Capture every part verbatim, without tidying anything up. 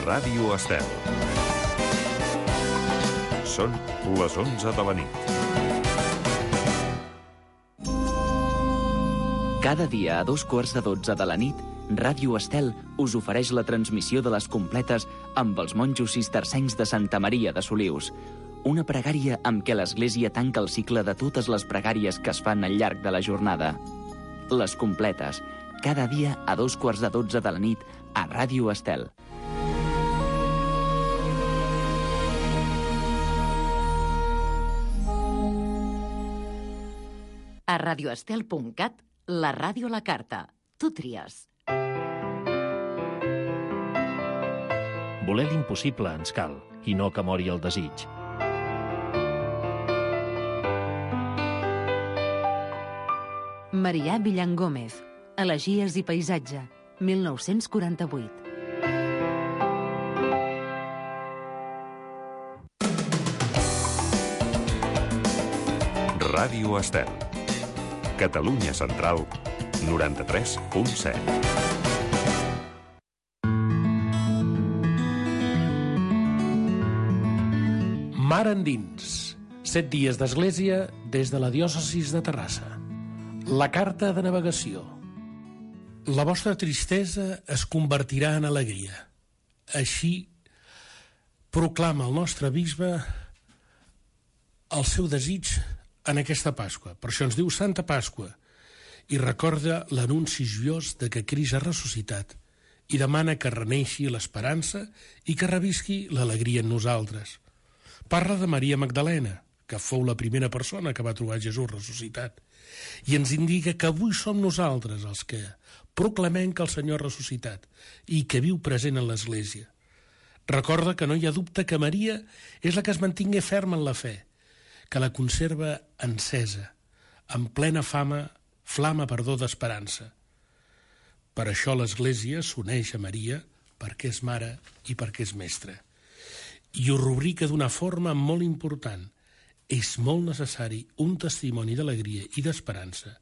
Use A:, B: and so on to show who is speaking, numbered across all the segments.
A: Ràdio Estel. Són les onze de la nit.
B: Cada dia a dos quarts de dotze de la nit, Ràdio Estel us ofereix la transmissió de les completes amb els monjos cistercencs de Santa Maria de Solius. Una pregària amb què l'Església tanca el cicle de totes les pregàries que es fan al llarg de la jornada. Les completes, cada dia a dos quarts de dotze de la nit a Ràdio Estel.
C: A radioestel punt cat, la ràdio a la carta. Tu tries.
D: Voler l'impossible ens cal, i no que mori el desig.
E: Marià Villan Gómez, Elegies i paisatge, mil nou-cents quaranta-vuit.
A: Ràdio Estel. Catalunya Central, noranta-tres punt set.
F: Mar endins. Set dies d'església des de la diòcesis de Terrassa. La carta de navegació. La vostra tristesa es convertirà en alegria. Així proclama el nostre bisbe el seu desig en aquesta Pasqua. Per això ens diu Santa Pasqua i recorda l'anunci joiós de que Crist ha ressuscitat i demana que reneixi l'esperança i que revisqui l'alegria en nosaltres. Parla de Maria Magdalena, que fou la primera persona que va trobar Jesús ressuscitat, i ens indica que avui som nosaltres els que proclamem que el Senyor ha ressuscitat i que viu present en l'Església. Recorda que no hi ha dubte que Maria és la que es mantingué ferma en la fe, que la conserva encesa, amb plena fama, flama, perdó, d'esperança. Per això l'Església s'uneix a Maria perquè és mare i perquè és mestra. I ho rubrica d'una forma molt important. És molt necessari un testimoni d'alegria i d'esperança,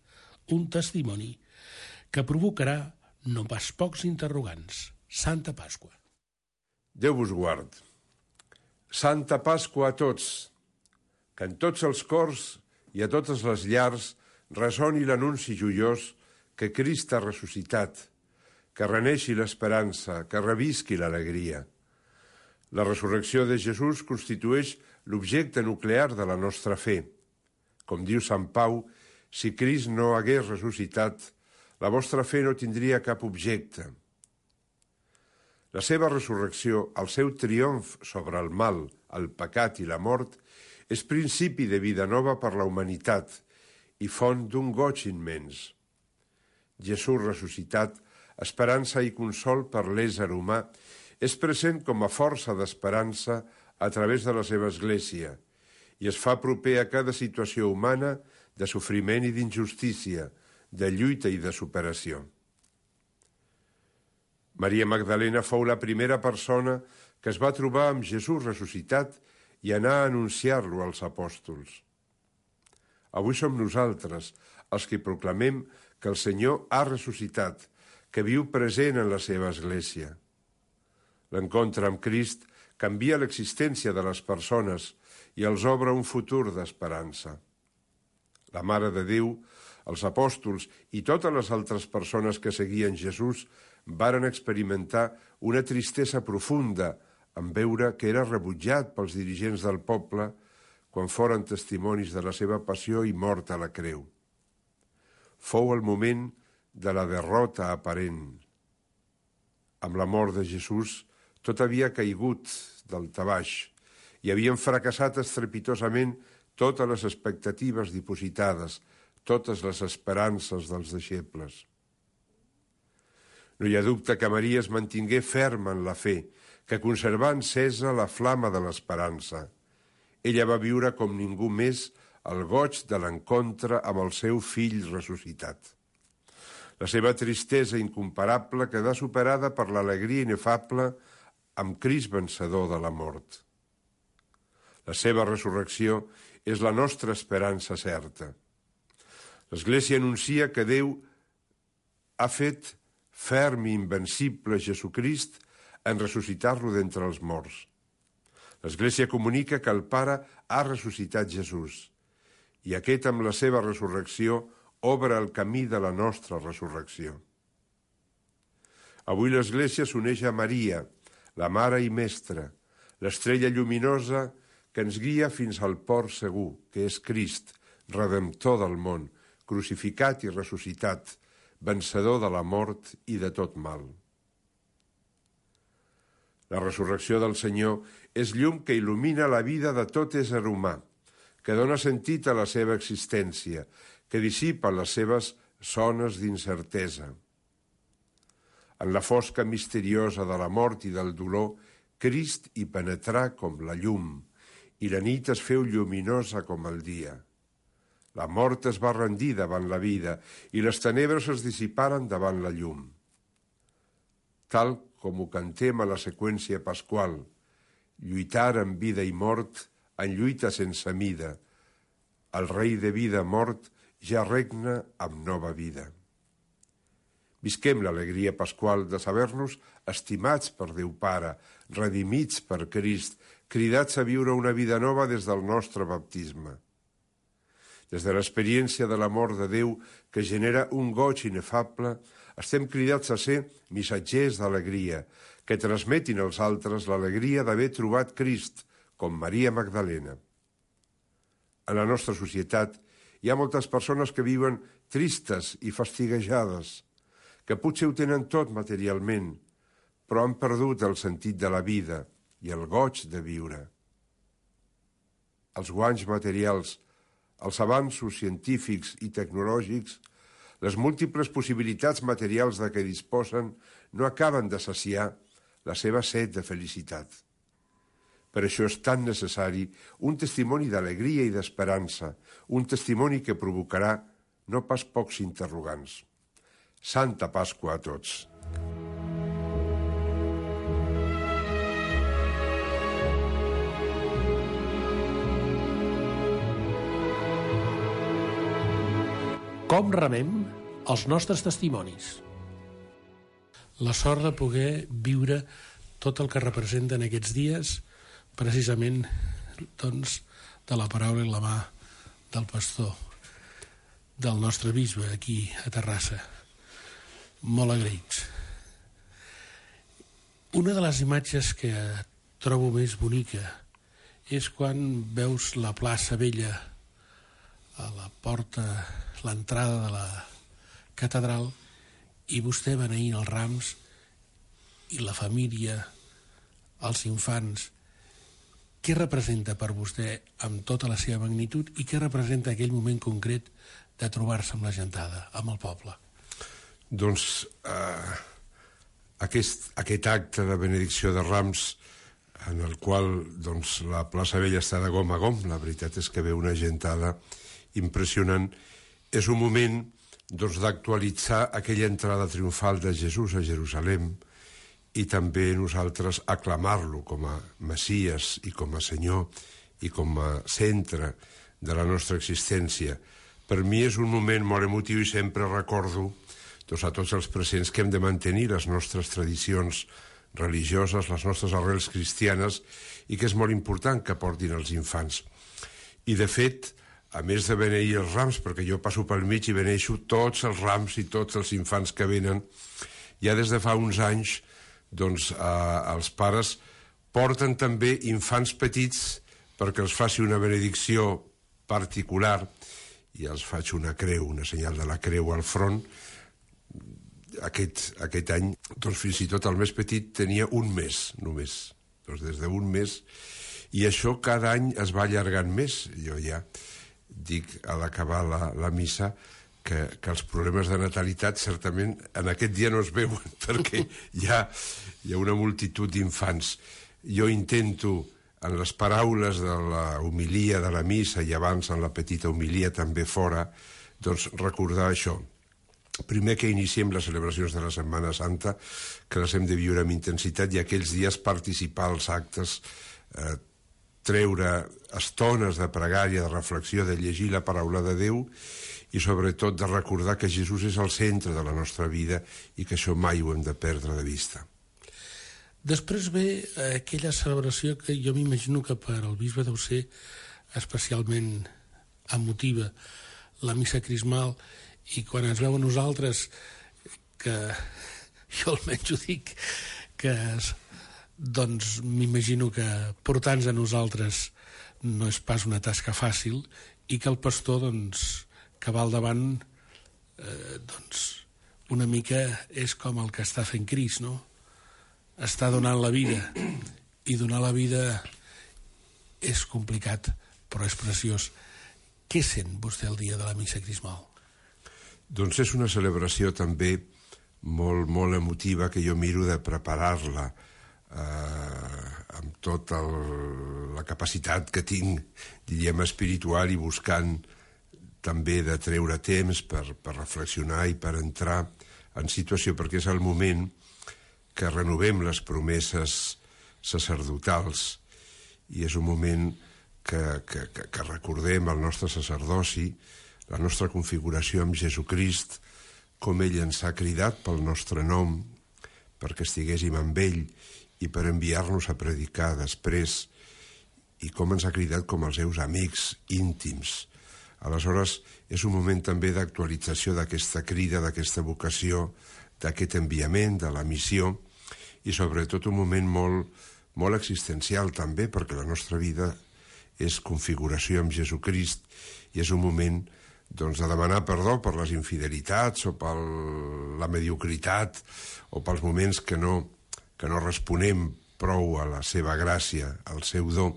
F: un testimoni que provocarà no pas pocs interrogants. Santa Pasqua.
G: Déu vos guard. Santa Pasqua a tots. Que en tots els cors i a totes les llars ressoni l'anunci joiós que Crist ha ressuscitat, que reneixi l'esperança, que revisqui l'alegria. La resurrecció de Jesús constitueix l'objecte nuclear de la nostra fe. Com diu Sant Pau, si Crist no hagués ressuscitat, la vostra fe no tindria cap objecte. La seva resurrecció, el seu triomf sobre el mal, el pecat i la mort, és principi de vida nova per la humanitat i font d'un goig immens. Jesús ressuscitat, esperança i consol per l'ésser humà, és present com a força d'esperança a través de la seva Església i es fa proper a cada situació humana de sofriment i d'injustícia, de lluita i de superació. Maria Magdalena fou la primera persona que es va trobar amb Jesús ressuscitat i anar a anunciar-lo als apòstols. Avui som nosaltres els que proclamem que el Senyor ha ressuscitat, que viu present en la seva Església. L'encontre amb Crist canvia l'existència de les persones i els obre un futur d'esperança. La Mare de Déu, els apòstols i totes les altres persones que seguien Jesús varen experimentar una tristesa profunda en veure que era rebutjat pels dirigents del poble quan foren testimonis de la seva passió i mort a la creu. Fou el moment de la derrota aparent. Amb la mort de Jesús, tot havia caigut del tabaix i havien fracassat estrepitosament totes les expectatives dipositades, totes les esperances dels deixebles. No hi ha dubte que Maria es mantingué ferma en la fe, que conservà encesa la flama de l'esperança. Ella va viure com ningú més el goig de l'encontre amb el seu fill ressuscitat. La seva tristesa incomparable quedà superada per l'alegria inefable amb Crist vencedor de la mort. La seva resurrecció és la nostra esperança certa. L'Església anuncia que Déu ha fet ferm i invencible Jesucrist en ressuscitar-lo d'entre els morts. L'Església comunica que el Pare ha ressuscitat Jesús i aquest, amb la seva resurrecció, obre el camí de la nostra resurrecció. Avui l'Església s'uneix a Maria, la Mare i Mestra, l'estrella lluminosa que ens guia fins al port segur, que és Crist, Redemptor del món, crucificat i ressuscitat, vencedor de la mort i de tot mal. La resurrecció del Senyor és llum que il·lumina la vida de tot ésser humà, que dona sentit a la seva existència, que dissipa les seves zones d'incertesa. En la fosca misteriosa de la mort i del dolor, Crist hi penetrà com la llum, i la nit es feu lluminosa com el dia. La mort es va rendir davant la vida, i les tenebres es dissiparen davant la llum. Tal com ho cantem a la seqüència pasqual, lluitar amb vida i mort en lluita sense mida. El rei de vida mort ja regna amb nova vida. Visquem l'alegria pasqual de saber-nos estimats per Déu Pare, redimits per Crist, cridats a viure una vida nova des del nostre baptisme. Des de l'experiència de l'amor de Déu, que genera un goig inefable, estem cridats a ser missatgers d'alegria, que transmetin als altres l'alegria d'haver trobat Crist, com Maria Magdalena. En la nostra societat hi ha moltes persones que viuen tristes i fastiguejades, que potser ho tenen tot materialment, però han perdut el sentit de la vida i el goig de viure. Els guanys materials, els avanços científics i tecnològics, les múltiples possibilitats materials de què disposen no acaben de saciar la seva set de felicitat. Per això és tan necessari un testimoni d'alegria i d'esperança, un testimoni que provocarà no pas pocs interrogants. Santa Pasqua a tots.
F: Com remem els nostres testimonis? La sort de poder viure tot el que representen aquests dies, precisament doncs, de la paraula i la mà del pastor, del nostre bisbe aquí a Terrassa. Molt agraïts. Una de les imatges que trobo més bonica és quan veus la plaça Vella a la porta, l'entrada de la catedral, i vostè beneint els rams i la família, els infants. Què representa per vostè amb tota la seva magnitud i què representa aquell moment concret de trobar-se amb la gentada, amb el poble?
G: Doncs eh, aquest, aquest acte de benedicció de Rams, en el qual doncs, la plaça Vella està de gom a gom, la veritat és que ve una gentada impressionant, és un moment doncs, d'actualitzar aquella entrada triomfal de Jesús a Jerusalem i també nosaltres aclamar-lo com a Messies i com a Senyor i com a centre de la nostra existència. Per mi és un moment molt emotiu i sempre recordo doncs, a tots els presents que hem de mantenir les nostres tradicions religioses, les nostres arrels cristianes, i que és molt important que portin els infants. I de fet, a més de beneir els rams, perquè jo passo pel mig i beneixo tots els rams i tots els infants que venen, ja des de fa uns anys doncs, eh, els pares porten també infants petits perquè els faci una benedicció particular i els faig una creu, una senyal de la creu al front. Aquest, aquest any, doncs fins i tot el més petit tenia un mes, només, doncs des d'un mes, i això cada any es va allargant més. Jo ja dic a l'acabar la, la missa que, que els problemes de natalitat certament en aquest dia no es veuen perquè hi ha, hi ha una multitud d'infants. Jo intento, en les paraules de la homilia de la missa i abans en la petita homilia també fora, doncs recordar això. Primer que iniciem les celebracions de la Setmana Santa, que les hem de viure amb intensitat i aquells dies participar als actes, eh, treure estones de pregària, de reflexió, de llegir la paraula de Déu i sobretot de recordar que Jesús és el centre de la nostra vida i que això mai ho hem de perdre de vista.
F: Després ve aquella celebració que jo m'imagino que per al bisbe deu ser especialment emotiva, la missa crismal, i quan ens veu a nosaltres, que jo almenys ho dic, que doncs m'imagino que portar-nos a nosaltres no és pas una tasca fàcil, i que el pastor doncs, que va al davant eh, doncs una mica és com el que està fent Crist, no? Està donant la vida, i donar la vida és complicat, però és preciós. Què sent vostè el dia de la missa crismal?
G: Doncs és una celebració també molt, molt emotiva, que jo miro de preparar-la eh, amb tota el, la capacitat que tinc, diríem, espiritual, i buscant també de treure temps per, per reflexionar i per entrar en situació, perquè és el moment que renovem les promeses sacerdotals, i és un moment que, que, que, que recordem el nostre sacerdoci, la nostra configuració amb Jesucrist, com ell ens ha cridat pel nostre nom, perquè estiguéssim amb ell i per enviar-nos a predicar després, i com ens ha cridat com els seus amics íntims. Aleshores, és un moment també d'actualització d'aquesta crida, d'aquesta vocació, d'aquest enviament, de la missió, i sobretot un moment molt, molt existencial també, perquè la nostra vida és configuració amb Jesucrist, i és un moment doncs, de demanar perdó per les infidelitats o per la mediocritat o pels moments que no, que no responem prou a la seva gràcia, al seu do.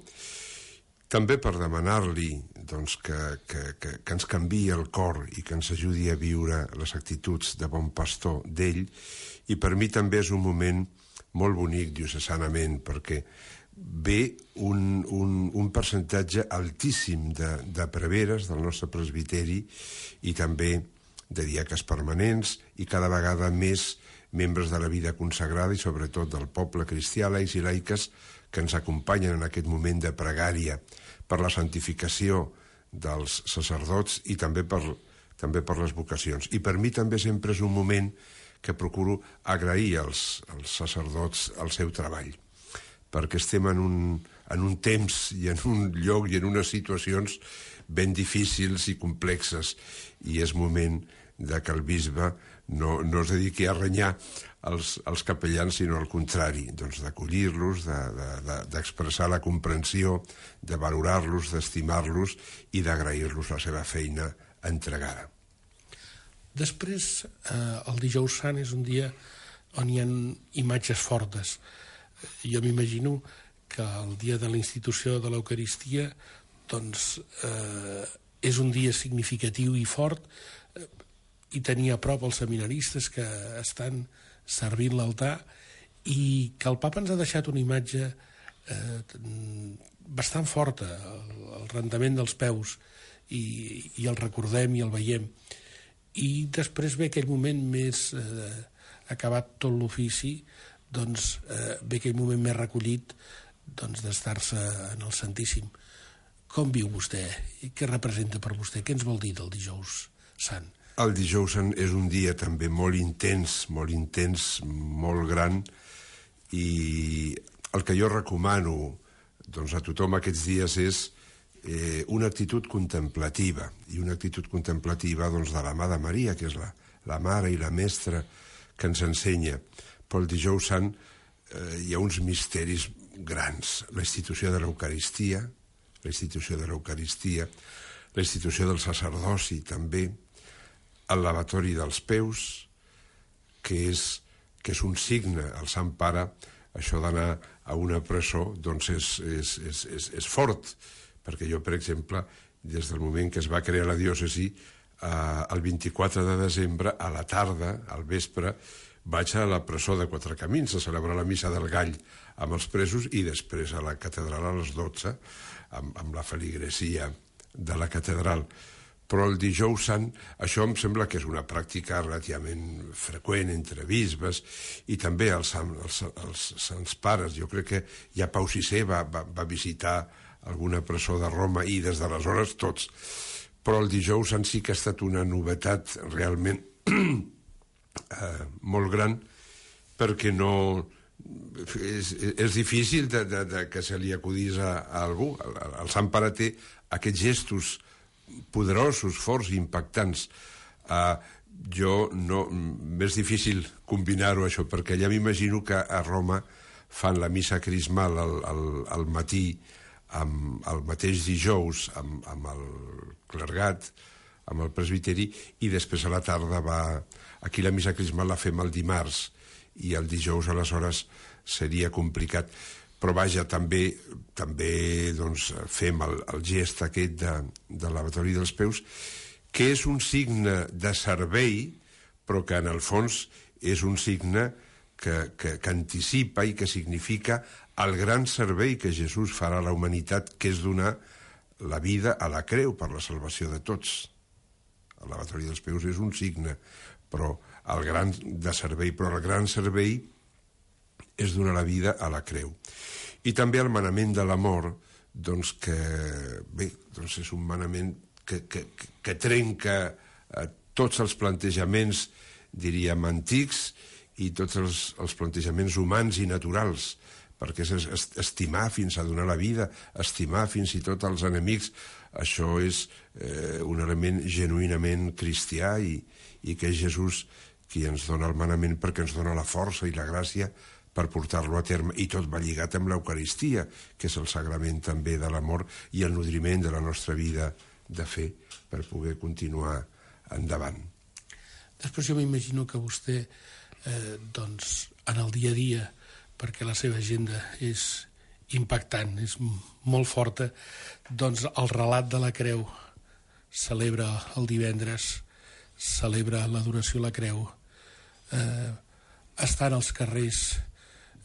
G: També per demanar-li doncs, que, que, que, que ens canviï el cor i que ens ajudi a viure les actituds de bon pastor d'ell. I per mi també és un moment molt bonic diocesanament, perquè ve un, un, un percentatge altíssim de, de preveres del nostre presbiteri, i també de diaques permanents, i cada vegada més membres de la vida consagrada, i sobretot del poble cristià, laics i laiques, que ens acompanyen en aquest moment de pregària per la santificació dels sacerdots i també per, també per les vocacions. I per mi també sempre és un moment que procuro agrair als, als sacerdots el seu treball, perquè estem en un, en un temps i en un lloc i en unes situacions ben difícils i complexes, i és moment de que el bisbe no, no es dediqui a renyar els, els capellans, sinó al contrari, doncs d'acollir-los, d'expressar de, de, la comprensió, de valorar-los, d'estimar-los i d'agrair-los la seva feina entregada.
F: Després, eh, el dijous sant és un dia on hi ha imatges fortes. Jo m'imagino que el dia de la institució de l'Eucaristia doncs, eh, és un dia significatiu i fort, eh, i tenir a prop els seminaristes que estan servint l'altar, i que el papa ens ha deixat una imatge eh, bastant forta, el, el rendament dels peus, i, i el recordem i el veiem. I després ve aquell moment més eh, acabat tot l'ofici, doncs eh, ve aquell moment més recollit doncs, d'estar-se en el Santíssim. Com viu vostè? I què representa per vostè? Què ens vol dir del dijous sant?
G: El dijous sant és un dia també molt intens, molt intens, molt gran, i el que jo recomano doncs, a tothom aquests dies és eh, una actitud contemplativa, i una actitud contemplativa doncs, de la mà de Maria, que és la, la mare i la mestra que ens ensenya. Però el dijous sant eh, hi ha uns misteris grans. La institució de l'Eucaristia, la institució de l'Eucaristia, la institució del sacerdoci també, el lavatori dels peus, que és, que és un signe, el Sant Pare, això d'anar a una presó, doncs és, és, és, és, és fort, perquè jo, per exemple, des del moment que es va crear la diòcesi, eh, el vint-i-quatre de desembre, a la tarda, al vespre, vaig a la presó de Quatre Camins a celebrar la missa del Gall amb els presos, i després a la catedral a les dotze, amb, amb la feligresia de la catedral. Però el dijous sant, això em sembla que és una pràctica relativament freqüent entre bisbes, i també els, els, els sants pares. Jo crec que ja Pau sisè va, va, va visitar alguna presó de Roma, i des d'aleshores tots. Però el dijous sant sí que ha estat una novetat realment eh, molt gran, perquè no, és, és difícil de, de, de que se li acudís a, a algú. El, el Sant Pare té aquests gestos poderosos, forts i impactants. Uh, jo no... M'és difícil combinar-ho, això, perquè ja m'imagino que a Roma fan la missa crismal al, al, al matí, amb el mateix dijous, amb, amb el clergat, amb el presbiteri, i després a la tarda va... Aquí la missa crismal la fem el dimarts, i el dijous, aleshores, seria complicat. Però vaja, també, també doncs, fem el, el gest aquest de, de lavatori dels peus, que és un signe de servei, però que en el fons és un signe que, que, que anticipa i que significa el gran servei que Jesús farà a la humanitat, que és donar la vida a la creu per la salvació de tots. El lavatori dels peus és un signe, però el gran de servei, però el gran servei és donar la vida a la creu. I també el manament de l'amor, doncs que, bé, doncs és un manament que, que, que trenca eh, tots els plantejaments, diríem, antics, i tots els, els plantejaments humans i naturals, perquè és estimar fins a donar la vida, estimar fins i tot els enemics. Això és eh, un element genuïnament cristià, i, i que és Jesús qui ens dona el manament, perquè ens dona la força i la gràcia per portar-lo a terme, i tot va lligat amb l'Eucaristia, que és el sagrament també de l'amor i el nodriment de la nostra vida de fe per poder continuar endavant.
F: Després jo m'imagino que vostè, eh, doncs, en el dia a dia, perquè la seva agenda és impactant, és molt forta, doncs el relat de la creu celebra el divendres, celebra l'adoració a la creu, eh, estan als carrers,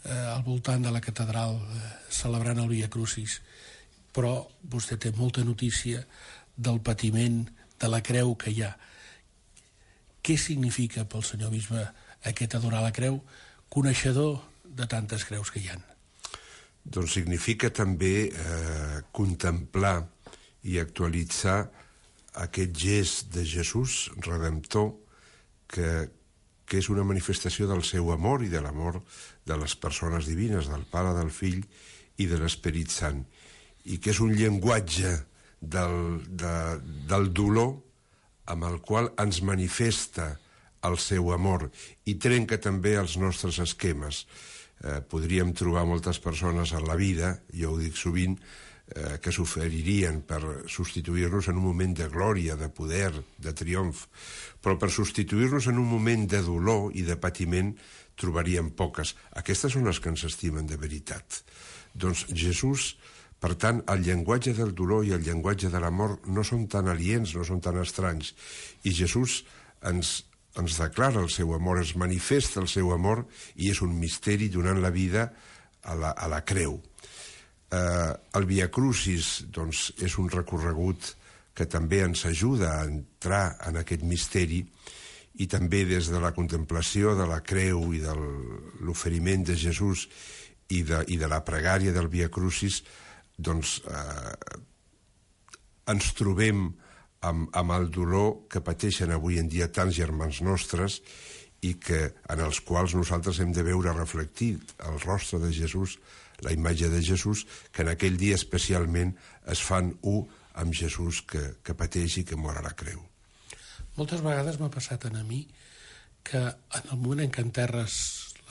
F: eh, al voltant de la catedral, eh, celebrant el Via Crucis, però vostè té molta notícia del patiment, de la creu que hi ha. Què significa pel senyor bisbe aquest adorar la creu, coneixedor de tantes creus que hi ha?
G: Doncs significa també eh, contemplar i actualitzar aquest gest de Jesús redemptor, que, que és una manifestació del seu amor i de l'amor de les persones divines, del Pare, del Fill i de l'Esperit Sant, i que és un llenguatge del, de, del dolor amb el qual ens manifesta el seu amor i trenca també els nostres esquemes. Eh, podríem trobar moltes persones en la vida, jo ho dic sovint, eh, que s'oferirien per substituir-nos en un moment de glòria, de poder, de triomf, però per substituir-nos en un moment de dolor i de patiment trobaríem poques. Aquestes són les que ens estimen de veritat. Doncs Jesús, per tant, el llenguatge del dolor i el llenguatge de l'amor no són tan aliens, no són tan estranys, i Jesús ens ens declara el seu amor, es manifesta el seu amor, i és un misteri donant la vida a la, a la creu. Eh, el Via Crucis, doncs, és un recorregut que també ens ajuda a entrar en aquest misteri, i també des de la contemplació de la creu i de l'oferiment de Jesús i de, i de la pregària del Via Crucis, doncs eh, ens trobem Amb, amb el dolor que pateixen avui en dia tants germans nostres, i que, en els quals nosaltres hem de veure reflectit el rostre de Jesús, la imatge de Jesús, que en aquell dia especialment es fan u amb Jesús que, que pateix i que mor a la creu.
F: Moltes vegades m'ha passat a mi que en el moment en què enterres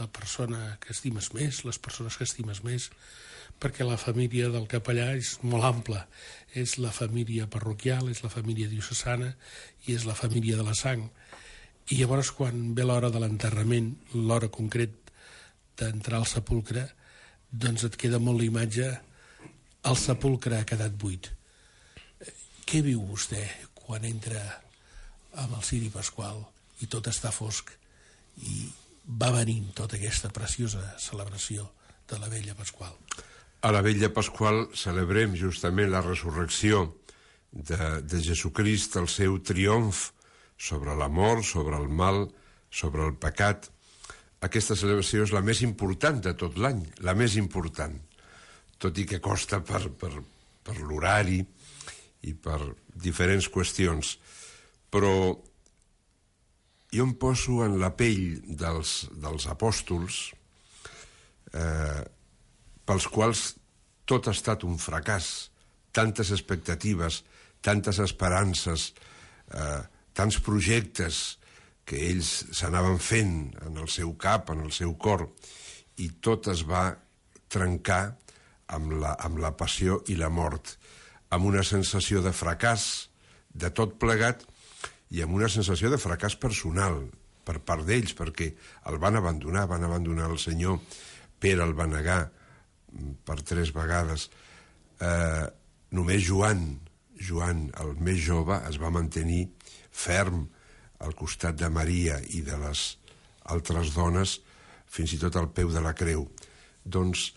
F: la persona que estimes més, les persones que estimes més, perquè la família del capellà és molt ampla, és la família parroquial, és la família diocesana i és la família de la sang. I llavors, quan ve l'hora de l'enterrament, l'hora concret d'entrar al sepulcre, doncs et queda molt la imatge, el sepulcre ha quedat buit. Què viu vostè quan entra amb el ciri pasqual i tot està fosc i va venint tota aquesta preciosa celebració de la vella Pasqual?
G: A la vella Pasqual celebrem justament la resurrecció de, de Jesucrist, el seu triomf sobre l'amor, sobre el mal, sobre el pecat. Aquesta celebració és la més important de tot l'any, la més important, tot i que costa per, per, per l'horari i per diferents qüestions. Però jo em poso en la pell dels, dels apòstols, eh, pels quals tot ha estat un fracàs, tantes expectatives, tantes esperances, eh, tants projectes que ells s'anaven fent en el seu cap, en el seu cor, i tot es va trencar amb la, amb la passió i la mort, amb una sensació de fracàs de tot plegat i amb una sensació de fracàs personal per part d'ells, perquè el van abandonar, van abandonar el Senyor. Pere el va negar per tres vegades. Eh, només Joan, Joan, el més jove, es va mantenir ferm al costat de Maria i de les altres dones, fins i tot al peu de la creu. Doncs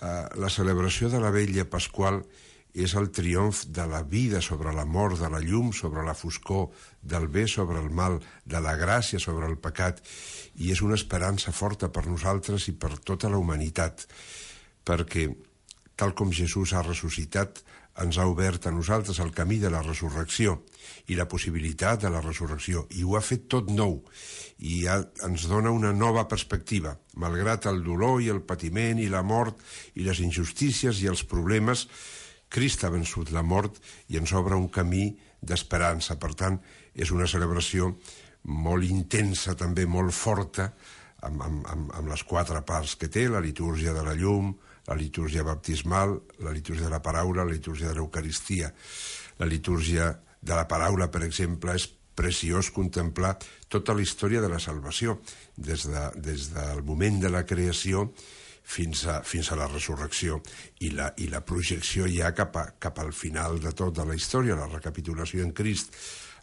G: eh, la celebració de la Vetlla Pasqual és el triomf de la vida sobre la mort, de la llum sobre la foscor, del bé sobre el mal, de la gràcia sobre el pecat, i és una esperança forta per nosaltres i per tota la humanitat, perquè, tal com Jesús ha ressuscitat, ens ha obert a nosaltres el camí de la resurrecció i la possibilitat de la resurrecció, i ho ha fet tot nou, i ha, ens dona una nova perspectiva. Malgrat el dolor i el patiment i la mort i les injustícies i els problemes, Crist ha vençut la mort i ens obre un camí d'esperança. Per tant, és una celebració molt intensa, també molt forta, amb, amb, amb, amb les quatre parts que té, la litúrgia de la llum, la litúrgia baptismal, la litúrgia de la paraula, la litúrgia de l'Eucaristia. La litúrgia de la paraula, per exemple, és preciós contemplar tota la història de la salvació, des, de, des del moment de la creació fins a, fins a la resurrecció, i la, i la projecció ja cap, a, cap al final de tota la història, la recapitulació en Crist.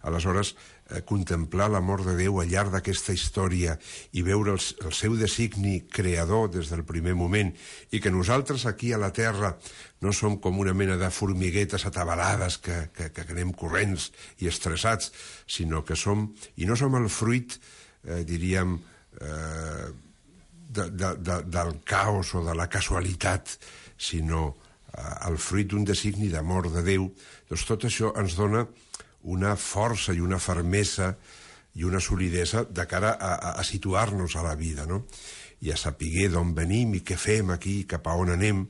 G: Aleshores, eh, contemplar l'amor de Déu al llarg d'aquesta història i veure el, el seu designi creador des del primer moment, i que nosaltres aquí a la Terra no som com una mena de formiguetes atabalades que, que, que anem corrents i estressats, sinó que som, i no som el fruit, eh, diríem, eh, de, de, de, del caos o de la casualitat, sinó eh, el fruit d'un designi d'amor de Déu. Doncs tot això ens dona una força i una fermesa i una solidesa de cara a, a, a situar-nos a la vida, no? I a saber d'on venim i què fem aquí, cap a on anem,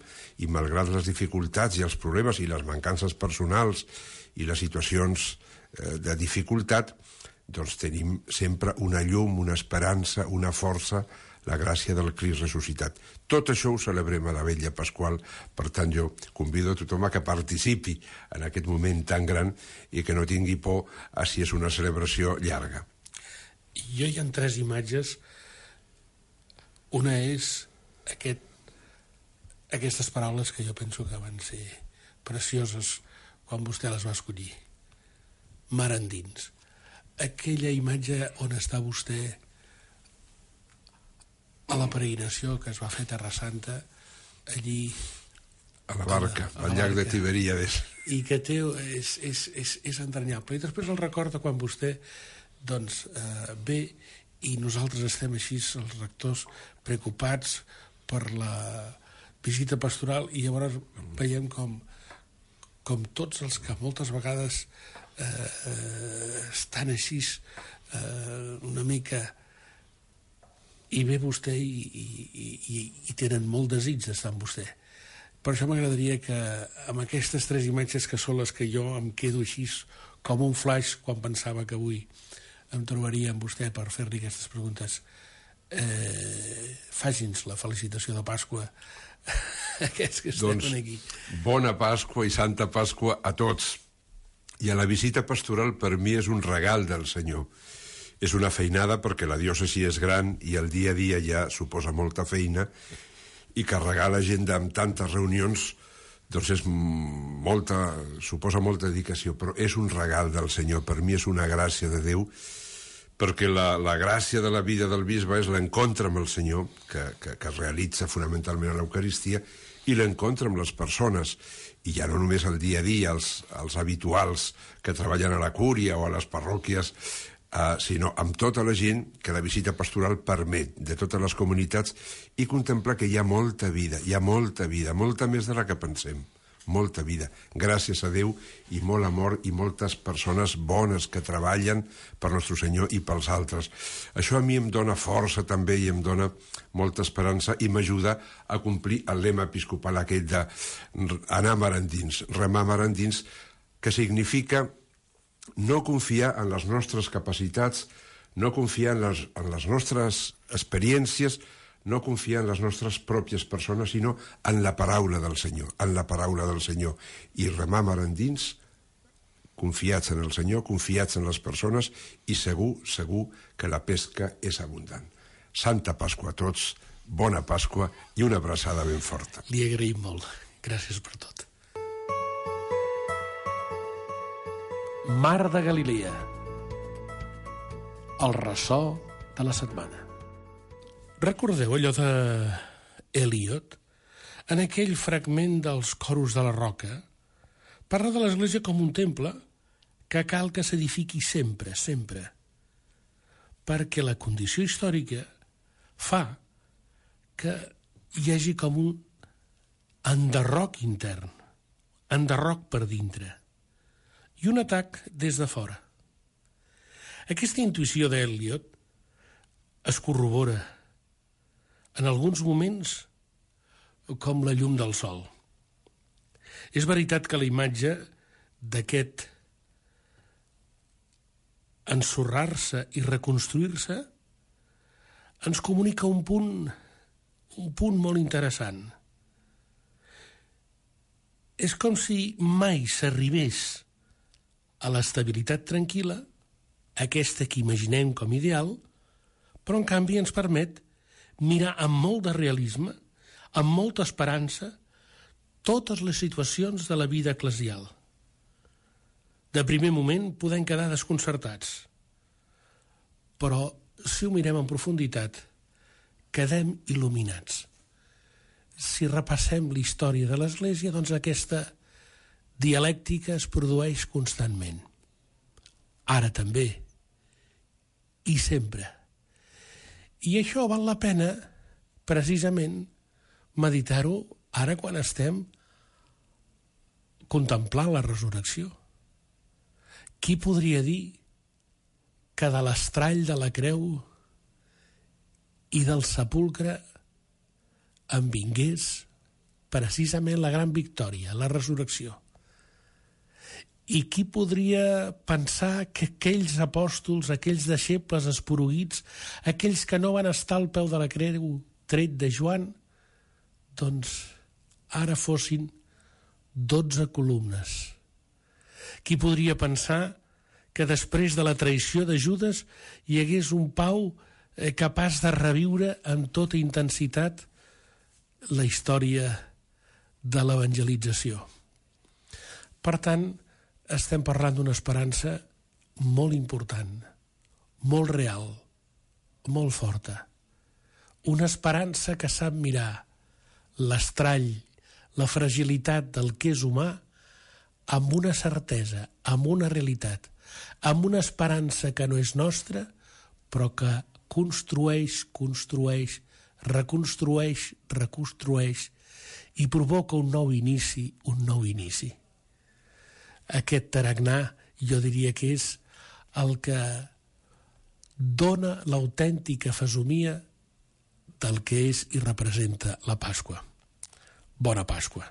G: i malgrat les dificultats i els problemes i les mancances personals i les situacions eh, de dificultat, doncs tenim sempre una llum, una esperança, una força, la gràcia del Crist ressuscitat. Tot això ho celebrem a la Vetlla Pasqual. Per tant, jo convido a tothom a que participi en aquest moment tan gran i que no tingui por a si és una celebració llarga.
F: Jo hi ha tres imatges. Una és aquest, aquestes paraules que jo penso que van ser precioses quan vostè les va escollir. Mar endins. Aquella imatge on està vostè a la peregrinació que es va fer a Terra Santa, allí
G: a la barca, a la, a al llac de Tiberíades,
F: i que té, és, és, és, és entranyable. I després el recorda quan vostè doncs, eh, ve i nosaltres estem així, els rectors, preocupats per la visita pastoral, i llavors veiem com, com tots els que moltes vegades eh, eh, estan així eh, una mica, i ve vostè i, i, i, i tenen molt desig d'estar amb vostè. Per això m'agradaria que amb aquestes tres imatges, que són les que jo em quedo així com un flash quan pensava que avui em trobaria amb vostè per fer-li aquestes preguntes, eh, faci'ns la felicitació de Pasqua a aquests que estem
G: doncs,
F: aquí.
G: Bona Pasqua i Santa Pasqua a tots. I a la visita pastoral per mi és un regal del Senyor. És una feinada perquè la diòcesi és gran i el dia a dia ja suposa molta feina, i carregar l'agenda amb tantes reunions doncs és molta, suposa molta dedicació, però és un regal del Senyor. Per mi és una gràcia de Déu, perquè la, la gràcia de la vida del bisbe és l'encontre amb el Senyor, que, que, que es realitza fonamentalment a l'Eucaristia, i l'encontre amb les persones, i ja no només el dia a dia, els, els habituals que treballen a la cúria o a les parròquies, Uh, sinó amb tota la gent que la visita pastoral permet, de totes les comunitats, i contemplar que hi ha molta vida, hi ha molta vida, molta més de la que pensem, molta vida. Gràcies a Déu i molt amor i moltes persones bones que treballen per Nostre Senyor i pels altres. Això a mi em dona força també i em dona molta esperança i m'ajuda a complir el lema episcopal aquell d'anar mar endins, remar mar endins, que significa no confiar en les nostres capacitats, no confiar en les, en les nostres experiències, no confiar en les nostres pròpies persones, sinó en la paraula del Senyor, en la paraula del Senyor. I remar mar endins, confiats en el Senyor, confiats en les persones, i segur, segur que la pesca és abundant. Santa Pasqua a tots, bona Pasqua i una abraçada ben forta.
F: Li agraïm molt. Gràcies per tot. Mar de Galilea. El ressò de la setmana. Recordeu allò de Eliot? En aquell fragment dels coros de la roca, parla de l'Església com un temple que cal que s'edifiqui sempre, sempre, perquè la condició històrica fa que hi hagi com un enderroc intern, enderroc per dintre, i un atac des de fora. Aquesta intuïció d'Eliot es corrobora en alguns moments com la llum del sol. És veritat que la imatge d'aquest ensorrar-se i reconstruir-se ens comunica un punt, un punt molt interessant. És com si mai s'arribés a l'estabilitat tranquil·la, aquesta que imaginem com ideal, però en canvi ens permet mirar amb molt de realisme, amb molta esperança, totes les situacions de la vida eclesial. De primer moment podem quedar desconcertats, però si ho mirem en profunditat, quedem il·luminats. Si repassem la història de l'Església, doncs aquesta dialèctica es produeix constantment. Ara també, i sempre. I això val la pena, precisament, meditar-ho ara quan estem contemplant la resurrecció. Qui podria dir que de l'estrall de la creu i del sepulcre en vingués precisament la gran victòria, la resurrecció? I qui podria pensar que aquells apòstols, aquells deixebles esporuguits, aquells que no van estar al peu de la creu tret de Joan, doncs ara fossin dotze columnes? Qui podria pensar que després de la traïció de Judes hi hagués un Pau capaç de reviure amb tota intensitat la història de l'evangelització? Per tant, estem parlant d'una esperança molt important, molt real, molt forta. Una esperança que sap mirar l'estrall, la fragilitat del que és humà amb una certesa, amb una realitat, amb una esperança que no és nostra, però que construeix, construeix, reconstrueix, reconstrueix i provoca un nou inici, un nou inici. Aquest tarannà, jo diria que és el que dona l'autèntica fesomia del que és i representa la Pasqua. Bona Pasqua.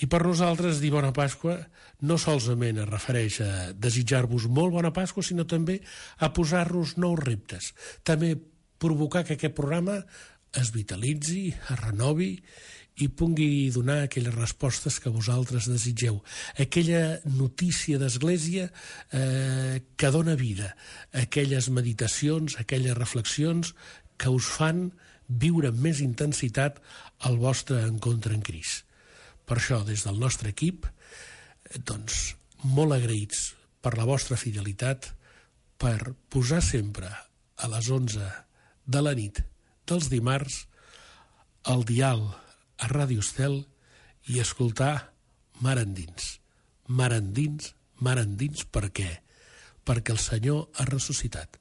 F: I per nosaltres dir bona Pasqua no solament es refereix a desitjar-vos molt bona Pasqua, sinó també a posar-nos nous reptes. També provocar que aquest programa es vitalitzi, es renovi i pugui donar aquelles respostes que vosaltres desitgeu. Aquella notícia d'Església eh, que dona vida, aquelles meditacions, aquelles reflexions que us fan viure amb més intensitat el vostre encontre en Crist. Per això, des del nostre equip, doncs, molt agraïts per la vostra fidelitat, per posar sempre a les onze de la nit dels dimarts el dial a Ràdio Estel i escoltar Mar endins. Mar endins, mar endins, per què? Perquè el Senyor ha ressuscitat.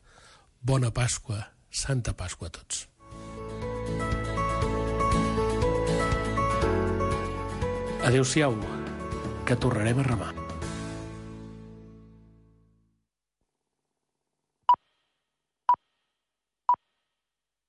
F: Bona Pasqua, Santa Pasqua a tots. Adéu-siau, que tornarem a remar.